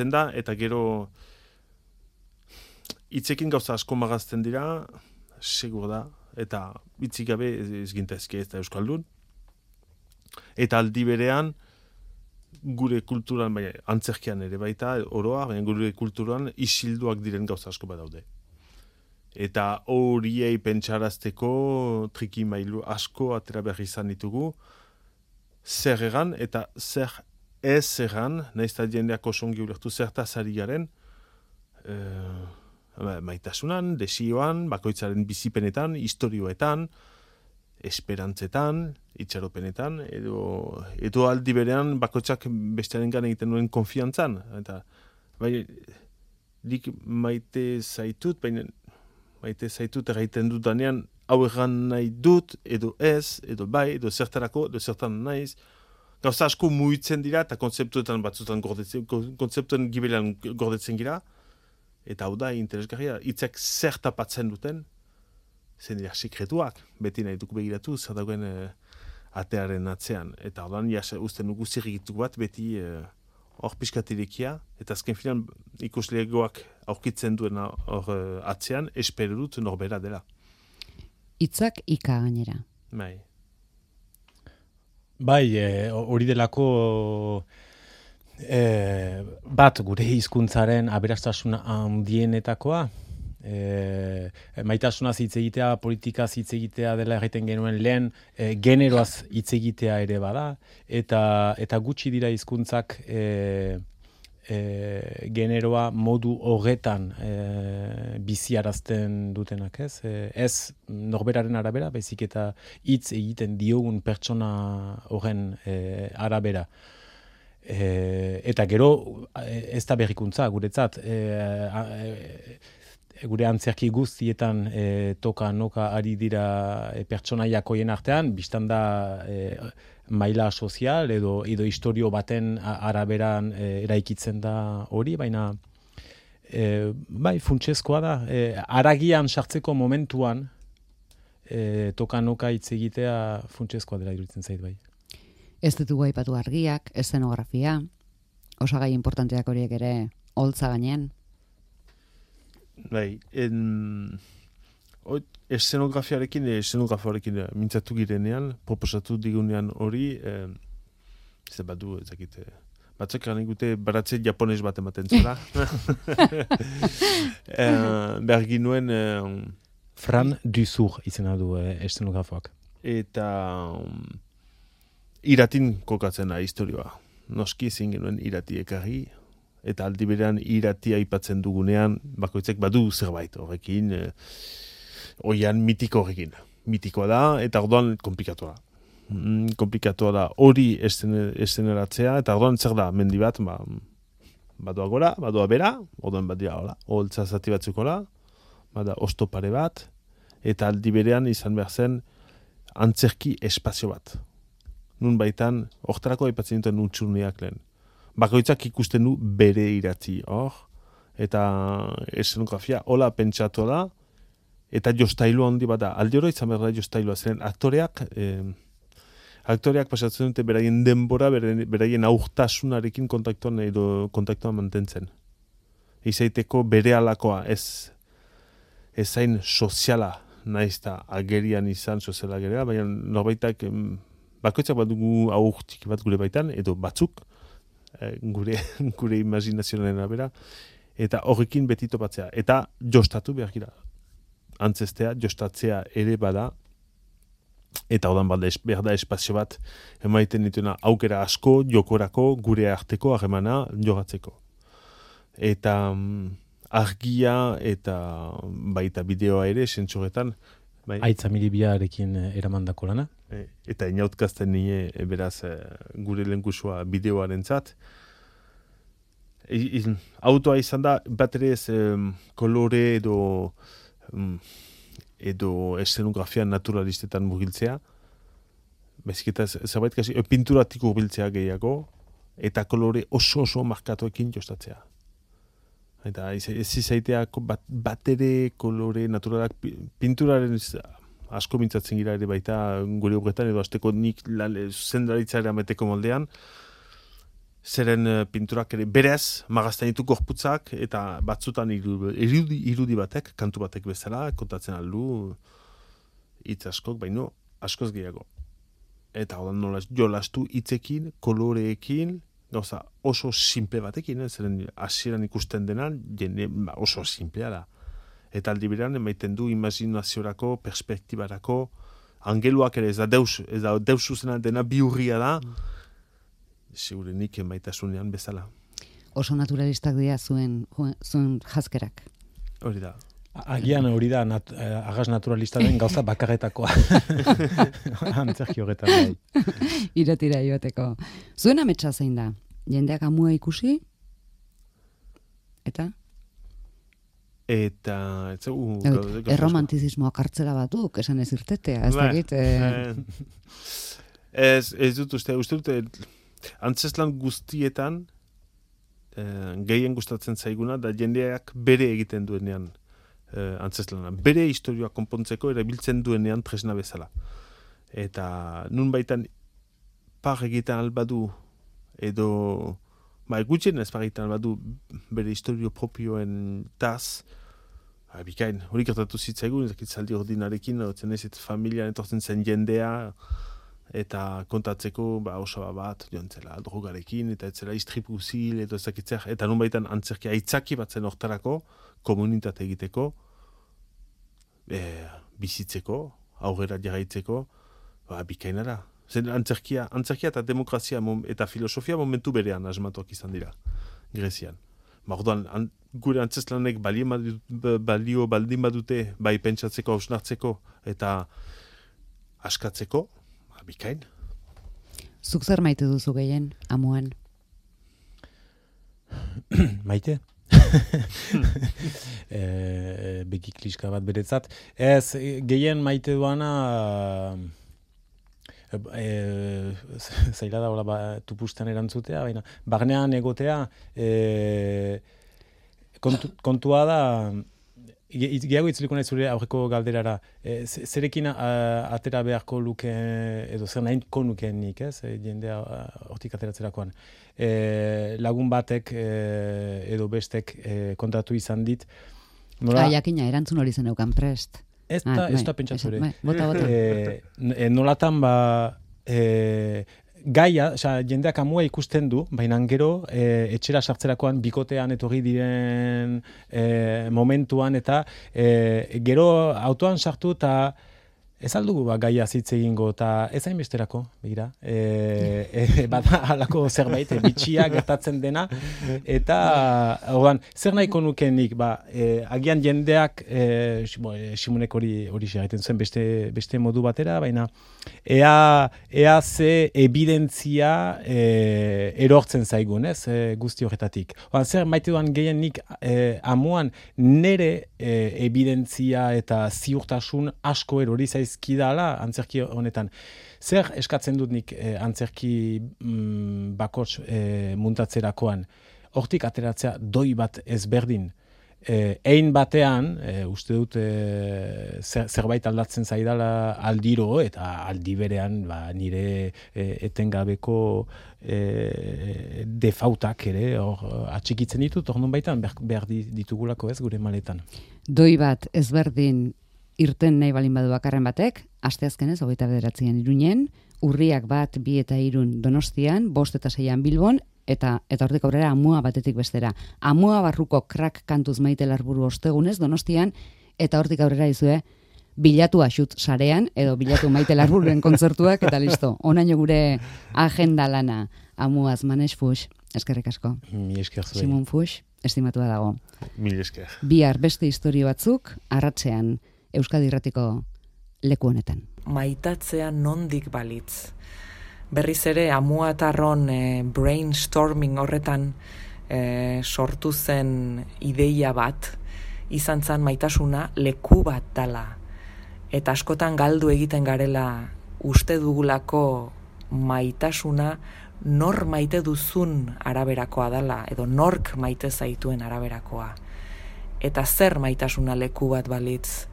Speaker 3: da, eta gero hitzekin gauza asko magazten dira, segur da, eta hitzik gabe ez gintezke ez da Euskaldun. Eta aldi berean, gure kulturan, baina antzerkian ere baita, oroa, baina gure kulturan isilduak diren gauza asko badaude. Eta horiei pentsarazteko trikimailu asko atera behar izan ditugu, zer egan eta zer ez egan, nahiz eta jendeak osongi ulertu zertaz ari garen, maitasunan, desioan, bakoitzaren bizipenetan, istorioetan, esperantzetan, itxaropenetan, edo aldi berean bakoitzak bestearengan egiten duen konfiantzan. Eta, bai, nik maite zaitut, baina maite zaitut erraiten dudanean, hau erran nahi dut, edo ez, edo bai, edo zertarako, edo zertan naiz. Gauza asko muitzen dira, eta kontzeptuetan batzutan kontzeptuen gibelean gordetzen gira, eta hau da, interesgarria, hitzak zer tapatzen duten, zen dira sekretuak, beti nahi duk begiratu, zer dagoen atearen atzean. Eta ordan, usten dugu zirrikituk bat, beti hor piskatirekia, eta azken filan ikuslegoak aurkitzen duen hor atzean, espero dut norbera dela.
Speaker 1: Hitzak ika gainera.
Speaker 4: Bai, hori delako bat gure hizkuntzaren aberastasuna handienetakoa, maitasunaz hitz egitea, politikaz hitz egitea dela egiten genuen lehen, generoaz hitz egitea ere bada, eta gutxi dira hizkuntzak generoa modu horretan biziarazten dutenak, ez? Ez norberaren arabera, baizik eta hitz egiten diogun pertsona horren arabera. Eta gero, ez da berrikuntza, guretzat, gure antzerki guztietan toka-noka ari dira pertsonaiak hoien artean, biztan da maila sozial edo historio baten araberan eraikitzen da hori, baina bai, funtsezkoa da. Haragian sartzeko momentuan toka-noka hitz egitea funtsezkoa dela iruditzen zait bai.
Speaker 1: Ez ditugu aipatu argiak, eszenografia, osagai importanteak horiek ere holtza gainean.
Speaker 3: Bai, eszenografioarekin mintzatu girenean, proposatu digunean hori, ez badu, ezakit, batzak garen gute baratze japones bat ematen zela. Behar ginuen...
Speaker 4: Fran Duzur izena du eszenografoak.
Speaker 3: Eta iratin kokatzen da historioa. Noski ezin genuen irati ekarri, eta aldi berean iratia aipatzen dugunean, bakoitzek badu zerbait horrekin, oian mitiko horrekin. Mitikoa da, eta orduan komplikatua da. Komplikatua da hori eszeneratzea, eta orduan zer da, mendi bat, badoa gora, badoa bera, orduan bat dira, holtza zati batzuk hola, bada ostopare bat, eta aldi berean izan behar zen antzerki espazio bat. Nun baitan, hortarako aipatzen dituen utxurneak lehen. Bakoitzak ikusten du bere iratzi hor, eta eszenografia hola pentsatu da, eta jostailua handi bat da. Aldi hori izan behar da jostailua, zeren aktoreak pasatzen dute beraien denbora, beraien aurtasunarekin kontaktuan mantentzen. Izaiteko bere alakoa, ez zain soziala, nahiz eta agerian izan soziala ageria, baina norbaitak bakoitzak bat dugu aurtik bat gure baitan, edo batzuk, gure imaginazioaren arabera, eta horrekin beti topatzea. Eta jostatu behar gira. Antzestea, jostatzea ere bada, eta odan behar da espazio bat emaiten dituena aukera asko, jokorako, gure arteko harremana jogatzeko. Eta argia eta baita bideoa ere, sentsuretan. Bai.
Speaker 4: Aitza Milibiarekin eramandako lana.
Speaker 3: Eta inautkazten nire, beraz, gure lenkusua bideoaren zat. Autoa izan da, bat ere ez kolore edo eszenografia naturalistetan mugiltzea. Baizik eta zerbait kasi, pinturatik urbiltzea gehiago, eta kolore oso markatuekin jostatzea. Eta ez izaitea bat ere kolore naturalak pinturaren asko mintzatzen gira ere baita gure obretan, edo azteko nik zendaritza ere ameteko moldean, zeren pinturak ere berez magazten ditu gorputzak, eta batzutan irudi batek, kantu batek bezala, kontatzen aldu, hitz askok, baino askoz gehiago. Eta nola jolastu hitzekin, koloreekin, gauza oso simple batekin, zeren hasieran ikusten denan, jende oso simplea da. Eta aldi berean emaiten du imaginaziorako, perspektibarako, angeluak ere ez da deus zuzena dena biurria da, segurenik emaitasunean bezala.
Speaker 1: Oso naturalistak dira zuen jazkerak.
Speaker 3: Hori da.
Speaker 4: Agian hori da agaz naturalista den gauza bakarretakoa. Antzerki horretan bai.
Speaker 1: Iretira joateko. Zuen ametsa zein da? Jendeak amua ikusi? Eta? Erromantizismoa kartzela batuk, esan ez irtetea, ez dakit.
Speaker 3: Ez dut uste dute, antzeslan guztietan gehien gustatzen zaiguna, da jendeak bere egiten duenean antzeslana. Bere historioa konpontzeko erabiltzen duenean tresna bezala. Eta nun baitan par egiten albadu edo gutxien ez par egiten albadu bere historio propioen taz, bikain, hori gertatu zitzaigun, zaldi ordinarekin, familian etortzen zen jendea, eta kontatzeko osaba bat joan zela drogarekin, eta etzela istripu zil, eta nun baitan antzerkia aitzaki batzen hortarako, komunitate egiteko, bizitzeko, aurrera jarraitzeko, bikainara. Zen antzerkia eta demokrazia eta filosofia momentu berean asmatuak izan dira, Grezian. Orduan, gure antzeslanek balio baldin badute, bai pentsatzeko, hausnartzeko, eta askatzeko, bikain.
Speaker 1: Zuk zer maite duzu gehien, amuan?
Speaker 4: Maite? Beki kliska bat beretzat. Ez, gehien maite duana zaila da hola tupusten erantzutea, baina barnean egotea kontua da gehiago itzuliko nahi zure aurreko galderara, zerekin atera beharko luke, edo zer nahiko nukeen nik, jendea hortik ateratzerakoan. Lagun batek edo bestek kontatu izan dit.
Speaker 1: Jakina, erantzun hori zen eukan prest.
Speaker 4: Ez da pentsatu ere.
Speaker 1: Bota.
Speaker 4: Nolatan gaia, jendeak amua ikusten du, baina gero etxera sartzerakoan bikotean etorri diren momentuan eta gero autoan sartu eta ez aldugu gaia zitz egingo eta ez hainbesterako, begira. Bada halako zerbait, bitxia gertatzen dena eta zer nahiko nukenik, agian jendeak Simonek hori egiten zuen beste modu batera, baina ea ze evidentzia erortzen zaigun, guzti horretatik. Zer maite duan gehienik amuan nere evidentzia eta ziurtasun asko erori zaizkidala antzerki honetan. Zer eskatzen dut nik antzerki bakots muntatzerakoan? Hortik ateratzea doi bat ezberdin. Ein batean, uste dut zerbait aldatzen zaidala aldiro eta aldi berean nire etengabeko defautak ere atxikitzen ditut, hor nun baitan behar ditugulako ez gure maletan.
Speaker 1: Doi bat ezberdin irten nahi balin badu bakarren batek, asteazkenez 29an Iruñen, urriak 1, 2 eta 3 Donostian, 5 eta 6 Bilbon, eta hortik aurrera amua batetik bestera. Amua barruko krak kantuz Maite Larburu ostegunez Donostian, eta hortik aurrera izue bilatu axut sarean, edo bilatu Maite Larbururen kontzertuak, eta listo. Onaino gure agenda lana amuaz Manex Fuchs, eskerrik asko.
Speaker 4: Mi esker zuei.
Speaker 1: Simon Fuchs, estimatua dago.
Speaker 3: Mil esker.
Speaker 1: Bihar beste istorio batzuk, arratsean Euskadi Irratiko leku honetan.
Speaker 2: Maitatzea nondik balitz. Berriz ere, amuatarron brainstorming horretan sortu zen ideia bat, izan zen maitasuna leku bat dala. Eta askotan galdu egiten garela uste dugulako maitasuna nor maite duzun araberakoa dala, edo nork maite zaituen araberakoa. Eta zer maitasuna leku bat balitz,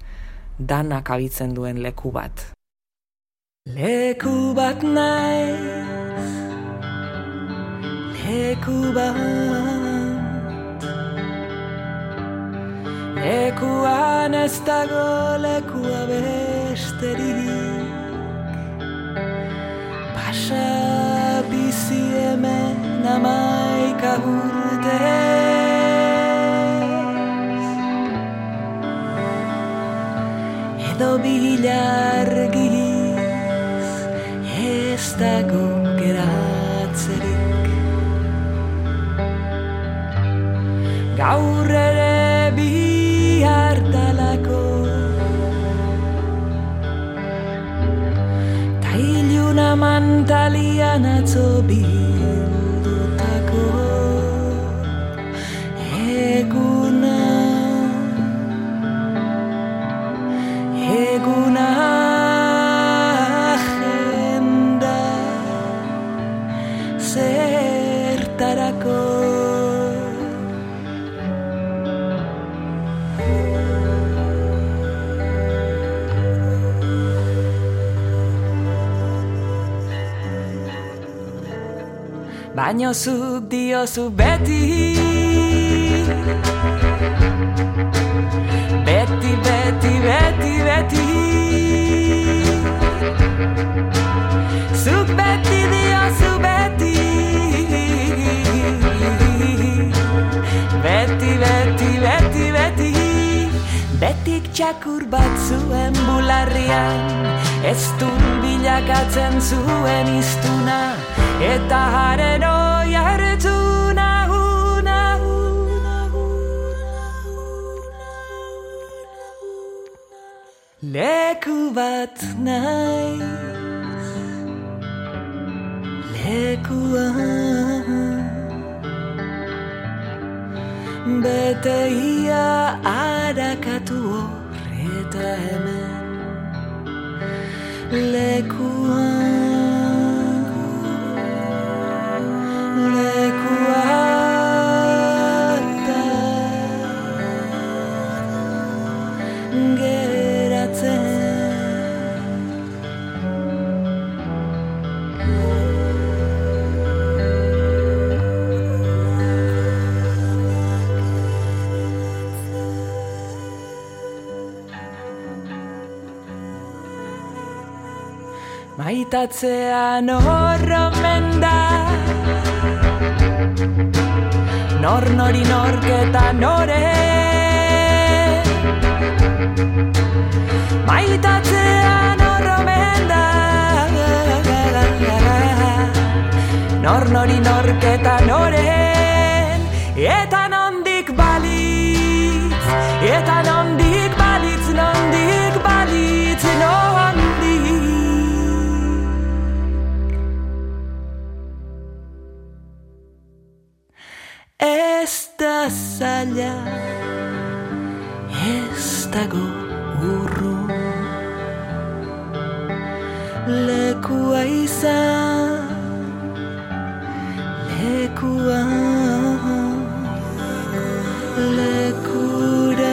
Speaker 2: danak abitzen duen leku bat. Leku bat naiz, leku bat, lekuan ez dago lekua besterik, pasa bizi hemen 11 urte. Edo bilargiz ez dago geratzerik, gaur ere bihar dalako, ta iluna mantalian atzo bildutako eguna agenda zertarako. Baino zuk diozu beti, beti, beti, beti, beti, zuk beti diozu beti, beti, beti, beti, beti, betik txakur bat zuen bularrian, ez dun bilakatzen zuen iztuna, eta haren oi hartu nahu. Leku bat naiz, lekuan, bete ia arakatu horreta hemen, lekuan. Maitatzean horromen da, nor nori norketa nore. Maitatzean horromen da, nor nori norketa noren. Eta nondik balitz, eta nondik balitz, nondik balitz, nondik. Ez da zaila, ez dago urrun, lekua izan, lekua, lekurat,